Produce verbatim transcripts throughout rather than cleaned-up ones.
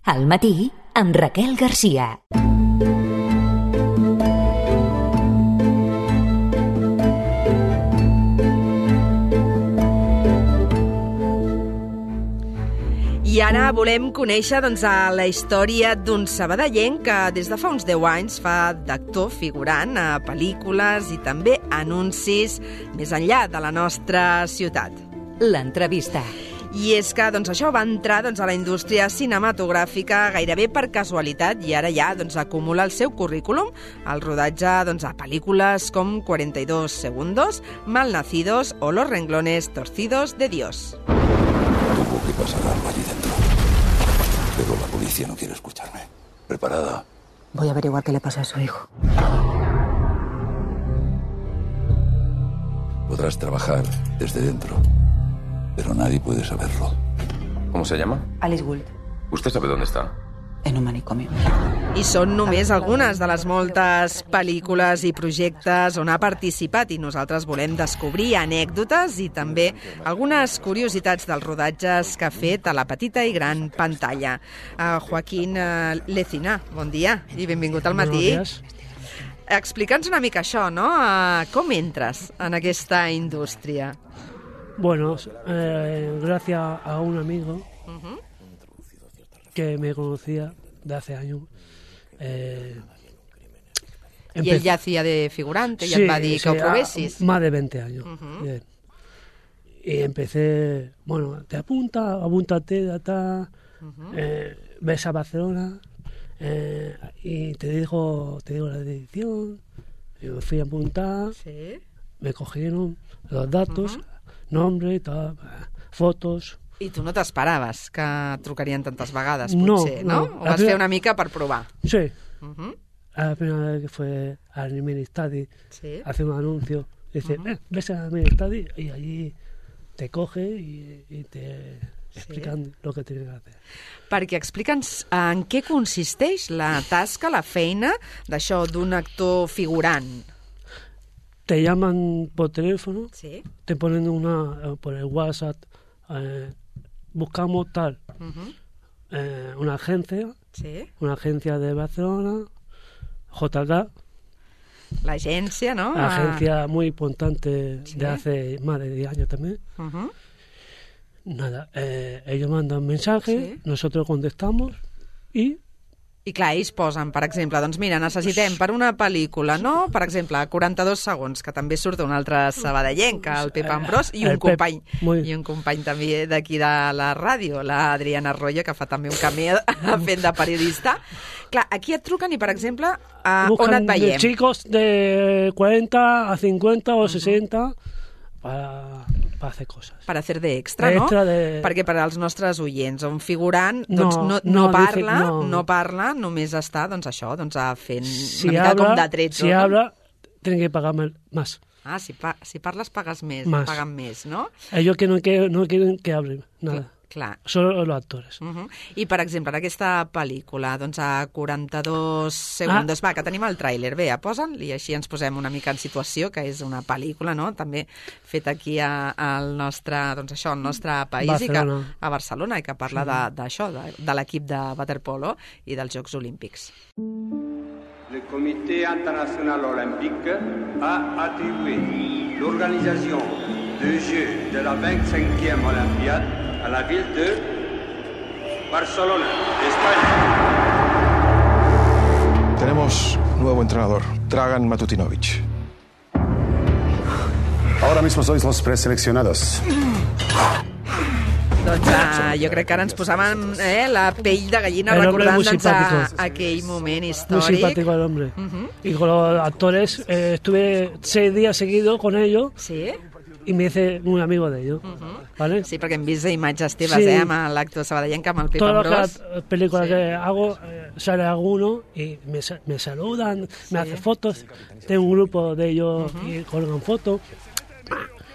Al matí, amb Raquel Garcia. I ara volem conèixer doncs, la història d'un sabadellenc que des de fa uns deu anys fa d'actor figurant a pel·lícules i també anuncis més enllà de la nostra ciutat. L'entrevista. I és que doncs, això va entrar doncs, a la indústria cinematogràfica gairebé per casualitat i ara ja doncs, acumula el seu currículum al rodatge doncs, a pel·lícules com cuarenta y dos segundos, Malnacidos o Los renglones torcidos de Dios. Tuvo que pasar algo allí dentro. Pero la policía no quiere escucharme. ¿Preparada? Voy a averiguar qué le pasa a su hijo. Podrás trabajar desde dentro, pero nadie puede saberlo. ¿Cómo se llama? Alice Gould, ¿Usted sabe dónde está? en un manicomio. I són només algunes de les moltes pel·lícules i projectes on ha participat i nosaltres volem descobrir anècdotes i també algunes curiositats dels rodatges que ha fet a la petita i gran pantalla. Uh, Joaquín uh, Lecina, bon dia i benvingut al matí. Explica'ns una mica això, no? Uh, com entres en aquesta indústria? Bueno, eh, gracias a un amigo uh-huh. que me conocía de hace años. Eh, I ell ja hacía de figurante, sí, ja et va dir que sí, ho provessis. Más de veinte años. Uh-huh. Bien. Y empecé, bueno, te apunta, apúntate, de acá, uh-huh. eh, ves a Barcelona eh, y te digo, te digo la dirección, y me fui a apuntar, sí. Me cogieron los datos, uh-huh. nombre i tot, fotos. I tu no t'esperaves que trucarien tantes vegades, no, potser, no? no? O vas primera... fer una mica per provar? Sí. Uh-huh. La primera vez que fue al Ministadi, sí. hace un anuncio, dice, uh-huh. eh, ves al Ministadi y allí te coge y, y te explican sí. lo que tienes que hacer. Perquè explica'ns en què consisteix la tasca, la feina d'això d'un actor figurant. Te llaman por teléfono, sí. te ponen una por el WhatsApp, eh, buscamos tal, uh-huh. eh, una agencia, sí. una agencia de Barcelona, J K. La agencia, ¿no? La agencia muy importante sí. de hace más de diez años también. Uh-huh. Nada, eh, ellos mandan mensajes, sí. nosotros contestamos y... I clar, ells posen, per exemple, doncs mira, necessitem per una pel·lícula, no? Per exemple, quaranta-dos segons, que també surt un altre sabadellenc, el Pep Ambrós, i un el company, Pep, muy... i un company també d'aquí de la ràdio, la Adriana Arroyo, que fa també un camí fent de periodista. Clar, aquí et truquen i, per exemple, a on et veiem? De chicos de cuarenta a cincuenta o sesenta para... per fer coses. Per hacer de extra, no? Extra de... Perquè per als nostres oients, un figurant doncs, no, no, no, no parla, dice, no. no parla, només està, doncs això, doncs fent si una mica habla, com de tretzo. Si no? habla, tienen que pagar más. Ah, si, pa si parles pagues més, más. paguen més, no? Ellos que no, que no quieren que hablen, nada. Clar. Solo los actores. Uh -huh. I, per exemple, en aquesta pel·lícula, doncs a quaranta-dos segundos, ah. va, que tenim el tràiler, bé, posa'l i així ens posem una mica en situació, que és una pel·lícula, no?, també feta aquí a, al nostre, doncs això, al nostre país, Barcelona. I que, a Barcelona, i que parla sí. d'això, de, de, de l'equip de waterpolo i dels Jocs Olímpics. Le Comité international olympique a attribué l'organisation des Jeux de la vingt-cinquième Olympiade a la ville de Barcelona, España. Tenemos nuevo entrenador, Dragan Matutinovic. Ahora mismo sois los preseleccionados. Doncs uh, jo crec que ara ens posàvem eh, la pell de gallina recordant doncs, a, aquell moment històric. Muy simpático el hombre. Uh-huh. Y con los actores eh, estuve seis días seguidos con ellos. Sí. Y me hice un amigo de ellos, uh-huh. ¿vale? Sí, perquè hem vist imatges teves, sí. eh, amb l'actor sabadellenc, amb el Pep Todas Ambrós. Todas las películas sí. que hago, eh, sale alguno y me, me saludan, sí. me hacen fotos. Tengo un grupo de ellos uh-huh. y colgan fotos.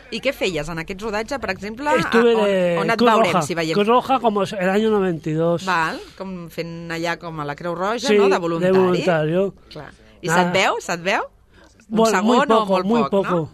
I què feies en aquest rodatge, per exemple? Estuve de on, on et Cruz veurem, Roja, si veiem? Cruz Roja como el año noventa y dos. Val, com fent allà com a la Creu Roja, sí, no?, de voluntari. de voluntario. Clar. I se't veu? Se't veu? Un bueno, segon muy poco, o molt muy poc, poco, no?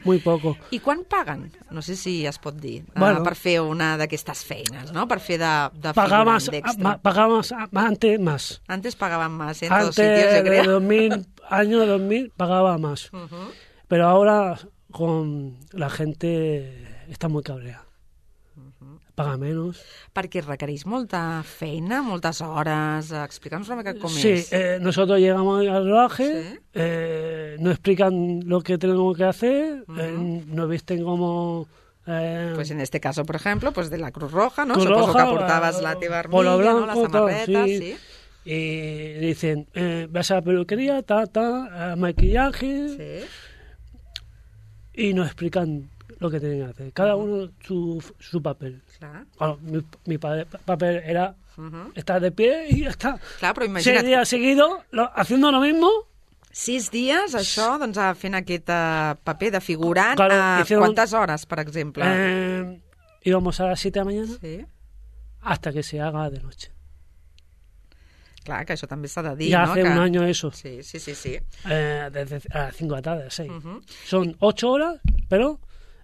Muy poco. I quan paguen? No sé si es pot dir, Bueno. uh, per fer una d'aquestes feines, no? Per fer de, de Pagamos, figurant d'extra. pagamos antes más. Antes pagaban más en todos Antes sitios, yo de creo. dos mil, año dos mil pagaba más. Uh-huh. Pero ahora con la gente está muy cabreada. Paga menos. Perquè requereix molta feina, moltes hores. Explica'ns una mica com Sí, és. eh, nosotros llegamos al rodaje, Sí. eh, nos explican lo que tenemos que hacer, eh, nos visten como... Eh, Pues en este caso, por ejemplo, pues de la Cruz Roja, ¿no? Cruz Suposo Roja, que portaves la teva polo armilla, ¿no? blanco, La samarreta, tal, sí. sí. Y dicen, eh, vas a la peluquería, ta, ta, a maquillaje, Sí. y nos explican lo que tienen que hacer. Cada uno su, su papel. Clar. Bueno, mi, mi pa- papel era Uh-huh. estar de pie y ya está. Clar, però Seis imagina't, días seguidos lo- haciendo lo mismo. sis dies, això, doncs, a fent aquest eh, paper de figurant. Claro, a hicieron- quantes hores, per exemple? Eh, íbamos a las siete de la mañana Sí. hasta que se haga de noche. Clar, que això també s'ha de dir, Ya no? hace que... un año eso. Sí, sí, sí, sí. Eh, desde a las cinco de la tarde, a las seis. Uh-huh. Son ocho horas, pero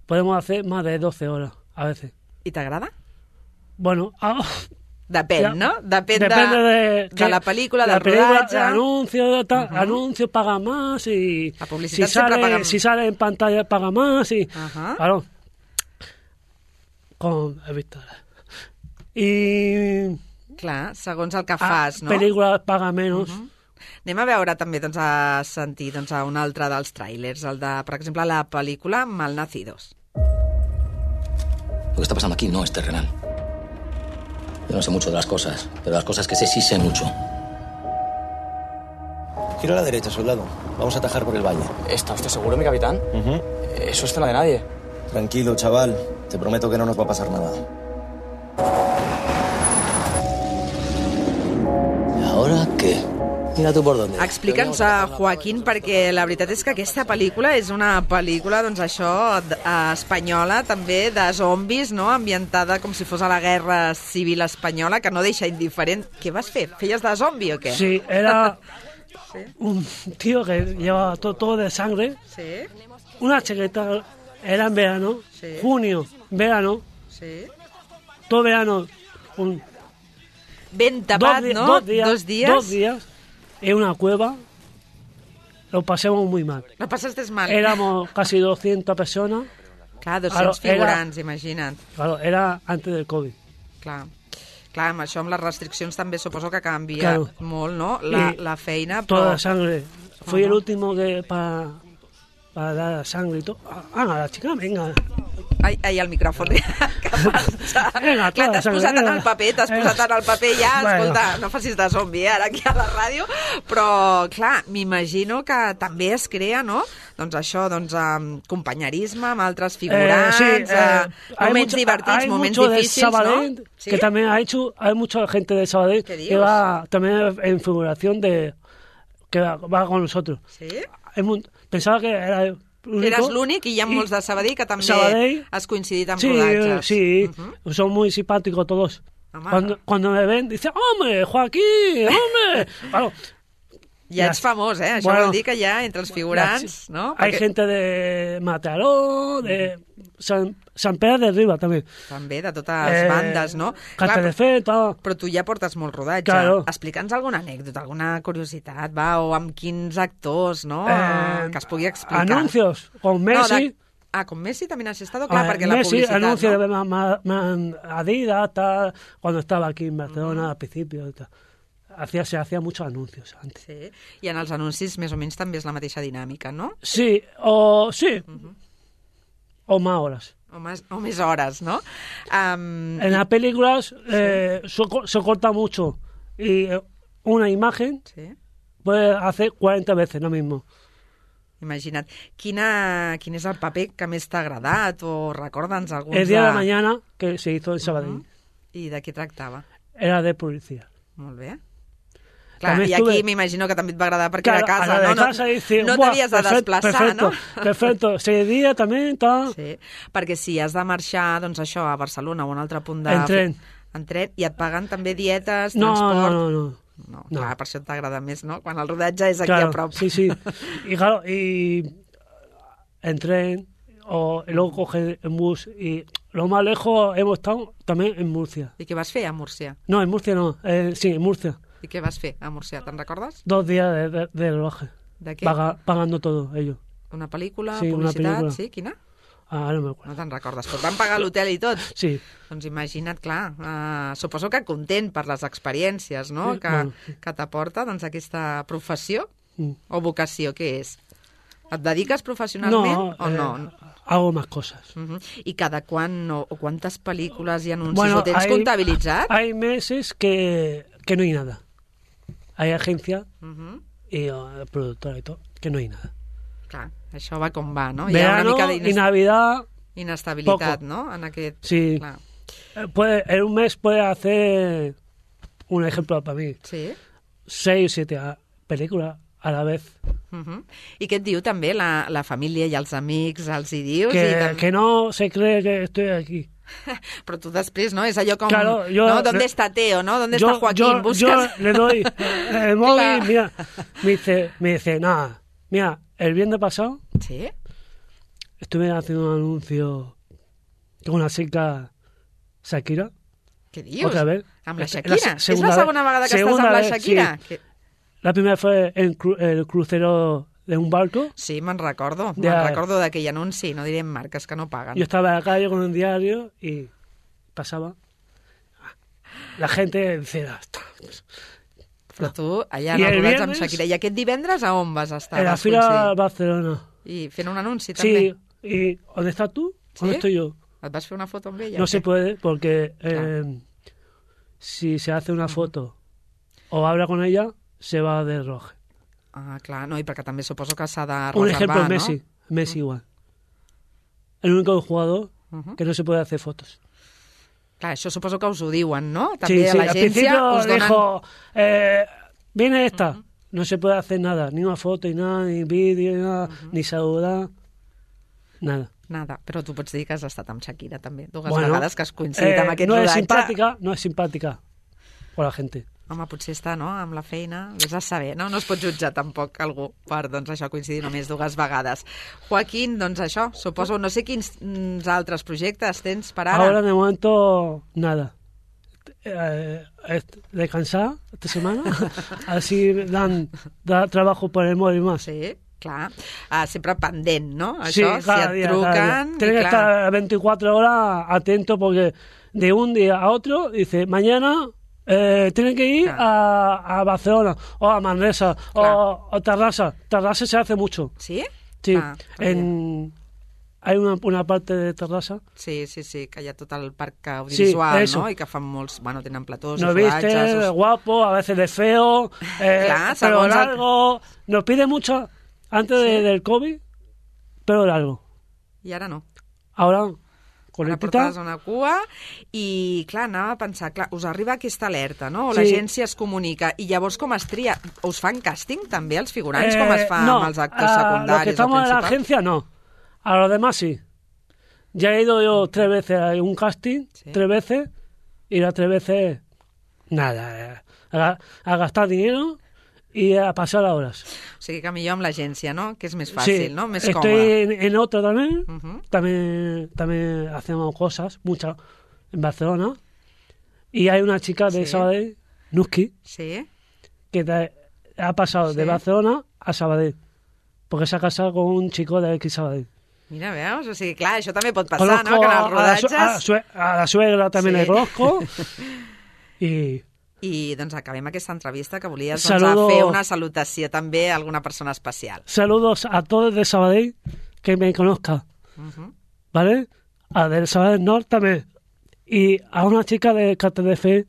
podemos hacer más de doce horas a veces. I t'agrada? Bueno, ah, Depèn, ya, no? Depèn depende de, de, de la pel·lícula, la del película, rodatge. el anuncio, tal, Ujú. anuncio paga más y La publicitat si sempre sale, paga- si sale en pantalla paga más y Ajá. claro, con he visto y Clar, segons el que a fas, no? películas paga menos. Uh-huh. Anem a veure també, doncs, a sentir doncs, a un altre dels tràilers, el de, per exemple, la pel·lícula Malnacidos. Lo que está pasando aquí no es terrenal. Yo no sé mucho de las cosas, pero las cosas que sé sí sé mucho. Gira a la derecha, soldado. Vamos a atajar por el valle. ¿Está usted seguro, mi capitán? Ujú. Eso es zona de nadie. Tranquilo, chaval. Te prometo que no nos va a pasar nada. ¿Y ahora qué? Mira tú por dónde. Explica'ns a Joaquín, perquè la veritat és que aquesta pel·lícula és una pel·lícula, doncs això, d- eh, espanyola, també de zombis, no?, ambientada com si fos a la guerra civil espanyola, que no deixa indiferent. Què vas fer? Feies de zombi o què? Sí, era un tío que llevaba todo, todo de sangre, Sí, una chaqueta, era en verano, Sí. junio, verano, sí. todo verano, un, Ben tapat, di- no? dos días, Dos dies. dos días en una cueva, lo pasamos muy mal. No passaste mal. Éramos casi doscientas personas, Clar, Claro, dos-cents era- figurants, imagina't. claro, era antes del COVID. Clar. Clar, amb això, amb les restriccions també suposo que canvia Claro. molt, no?, la, Y la feina, però... Toda la sangre. Fui el Ajá. último que para, para dar la sangre y todo. Ah, la chica, venga. Ai, ai, el micròfon. Que passa? Vinga, Clar, t'has clar, posat en vinga. el paper, t'has Vinga. posat en el paper ja, Bueno. escolta, no facis de zombi, eh, ara aquí a la ràdio, però, clar, m'imagino que també es crea, no?, doncs això, doncs, um, companyerisme amb altres figurants, Eh, sí, eh, eh, moments mucho- divertits, hay moments mucho de difícils, Sabadell, no? ¿Sí? que también ha hecho, hay mucha gente de Sabadell ¿Qué que dios? va también en figuración de que va, va con nosotros. Sí? Hay mu- pensaba que era el único. Eres l'únic i hi ha Y- molts de Sabadell que també Sabadell, has coincidit amb Sí, rodatges. sí, Uh-huh. son muy simpáticos todos. Home. Cuando, cuando me ven, dicen, hombre, Joaquín, hombre. Claro, Ja ets famós, eh? Això Bueno, vol dir que ja entre els figurants, no? hay Perquè- gente de Mataró, de San, San Pedro de Riba también. També, de totes les Eh, bandes, no? Clar, Castelldefels, però tu ja portes molt rodatge. Claro. Explica'ns alguna anècdota, alguna curiositat, va, o amb quins actors, no?, Eh, que es pugui explicar. anuncios con Messi. No, de... Ah, con Messi también has estado, clar, Ah, perquè la Messi, publicitat, anuncio no? de ma- ma- ma- Adidas, tal, cuando estaba aquí en Barcelona al principio. Tal. Hacía, se hacía muchos anuncios antes. Sí, i en els anuncis més o menys també és la mateixa dinàmica, no? Sí, o sí, o más horas. O més, o més hores, no? Um, En las películas eh, se, co- se corta mucho y eh, una imagen Sí, puede hacer cuarenta veces lo mismo. imagina't. Quina, quin és el paper que més t'ha agradat o recorda'ns alguns El día de... de mañana que se hizo en Sabadell I de què tractava? era de policía. Molt bé. Clar, També i aquí estuve- m'imagino que també et va agradar perquè Claro, era a casa, a la de no? casa No, dice, no "Buah, t'havies de perfecto, desplaçar, perfecto, no? Perfecto, ese día también tal. Sí, perquè si has de marxar, doncs això, a Barcelona o a un altre punt de... En tren. En tren, i et paguen també dietes, No, transport... no, no, no. no. no. Clar, per això t'agrada més, ¿no? Quan el rodatge és aquí claro, a prop. Sí, sí. Y claro, y en tren, o y luego coge el bus, y lo más lejos hemos estado también en Murcia. I què vas fer a Múrcia? No, en Murcia no, eh, sí, en Murcia. I què vas fer a Múrcia? Te'n recordes? Dos días de, de, de rodaje. De què? Paga, pagando todo, ellos. Una pel·lícula, sí, publicitat, una película. sí? Quina? Ah, no me acuerdo. No te'n recordes, però et van pagar l'hotel i tot? Sí. Doncs imagina't, clar, uh, suposo que content per les experiències, no?, Sí, que, bueno, sí. que t'aporta doncs, aquesta professió Mm. o vocació, què és? Et dediques professionalment no, o no? Eh, hago más cosas. Uh-huh. I cada quan o, o quantes pel·lícules i anuncis Bueno, ho tens hay, comptabilitzat? Hay meses que, que no hay nada. Hay agencia Uh-huh. y uh, productora y todo, que no hay nada. Clar, això va com va, no? Verano Hi ha una mica y Navidad... inestabilitat, poco. no? En aquest... Sí. Clar. Eh, Puede, en un mes puede hacer, un ejemplo para mí, Sí. seis o siete a- películas a la vez. Uh-huh. I què et diu també la, la família i els amics? Els hi dius? Que, I tam... que no se cree que estoy aquí. Però tu després, no? És allò com... Claro, yo- ¿no? ¿Dónde le- está Teo, no? ¿Dónde yo, está Joaquín? yo, Buscas... yo le doy el móvil, Claro. mira, me dice, me dice, nada, mira, el viernes pasado Sí? estuve haciendo un anuncio con una chica Shakira. Què dius? Otra vez. Amb la Esta- Shakira? se- És la segona vegada que estàs segunda amb la vez, Shakira? sí. Que... La primera fue en cru- el crucero de un barco. Sí, me'n recordo. De- Me'n recordo d'aquell anunci. No direm marques que no paguen. Yo estaba en la calle con un diario y pasaba. La gente decía, Però tu, allà I en el el rodatge amb viernes- Shakira. I aquest divendres a on vas estar? en la Vas fila coincidir? Barcelona. I fent un anunci, també? Sí, y ¿dónde estás tú? ¿Dónde ¿Sí? estoy yo? Et vas fer una foto amb ella? No o se què? puede porque eh, si se hace una foto o habla con ella, se va de roje. Ah, clar, no, i perquè també suposo que s'ha de Un reservar, ejemplo, no? Messi. Messi igual. El único jugador Uh-huh. que no se puede hacer fotos. Clar, això suposo que us ho diuen, no? Sí, També sí, a al l'agència principio us donen... dijo, eh, viene esta, no se puede hacer nada, ni una foto, ni nada, ni vídeo, ni nada, ni saludar, nada. Nada, però tu pots dir que has estat amb Shakira també, dues Bueno, vegades que has coincidit eh, amb aquest no rodatge. es simpática, no es simpática con la gente. Home, potser està, no?, amb la feina, vés a saber, no? No es pot jutjar tampoc algú per, doncs, això, coincidir només dues vegades. Joaquín, doncs això, suposo, no sé quins mm, altres projectes tens per ara. Ahora de momento, nada. Eh, est- descansar esta semana, así dan, da trabajo por el móvil más. Sí, clar. Ah, sempre pendent, no? Sí, Això, si cada et día, cada día. truquen... Tienes i que clar, estar veinticuatro horas atento porque de un día a otro dice, mañana eh, tienen que ir a, a Barcelona o a Manresa o a Tarrasa. Tarrasa se hace mucho. Sí? Sí, Ah, en, hay una, una parte de Tarrasa. Sí, sí, sí, que hi ha tot el parc audiovisual, Sí, eso. no? I que fan molts... Bueno, tenen platós Nos i viste rodatges... de guapo, a veces de feo, eh, Clar, pelo segons el- largo. Nos pide mucho antes de- del COVID, pelo largo. I ara no. Ahora, Ara coletita. portes una cua i, clar, anava a pensar, clar, us arriba aquesta alerta, no? O Sí. l'agència es comunica i llavors com es tria? Us fan càsting també els figurants, com es Eh, fa no, amb els actors a secundaris los que estamos o en la principals? agencia, no. A los demás sí. Ya he ido yo tres veces a un casting, tres veces, y las tres veces, nada. eh, A, a gastar dinero y a pasar horas. O sigui que millor amb l'agència, no? Que és més fàcil, Sí, no? Més estoy còmode. en, en otra también. Ujú. también. También hacemos cosas, muchas, en Barcelona. Y hay una chica de Sí. Sabadell, Nuski, Sí? que te- ha pasado de Sí. Barcelona a Sabadell. Porque se ha casado con un chico de aquí Sabadell. Mira, veus? O sigui, clar, això també pot passar, Conozco no? Que en els a, la, su- rodatges... a la sue- a la suegra también Sí. le conozco. Y I doncs acabem aquesta entrevista que volies doncs, Saludo- a fer una salutació també a alguna persona especial. saludos a todos de Sabadell que me conozcan. Ujú. ¿Vale? A del Sabadell Norte también. Y a una chica de K T D F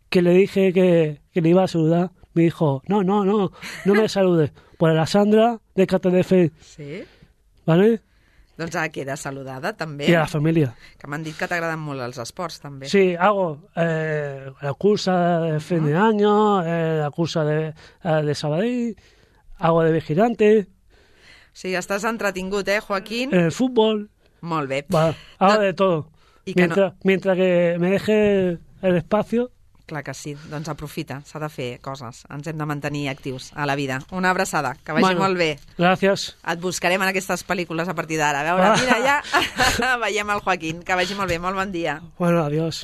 que le dije que, que le iba a saludar, me dijo, no, no, no, no me saludes. Pues la Sandra de K T D F, Sí? ¿vale? Doncs ara queda saludada, també. Y a la familia. Que m'han dit que t'agraden molt els esports, també. Sí, hago eh, la cursa de fin de año, eh, la cursa de, eh, de Sabadell, hago de vigilante, O sigui, estàs entretingut, eh, Joaquín? en el fútbol, Molt bé. va, hago No- de todo. Y que Mientras, mientras que me deje el espacio, Clar que sí, doncs aprofita, s'ha de fer coses, ens hem de mantenir actius a la vida. Una abraçada, que vagi bueno, molt bé. Gràcies. Et buscarem en aquestes pel·lícules a partir d'ara. A veure, mira, ja veiem el Joaquín, que vagi molt bé, molt bon dia. Bueno, adiós.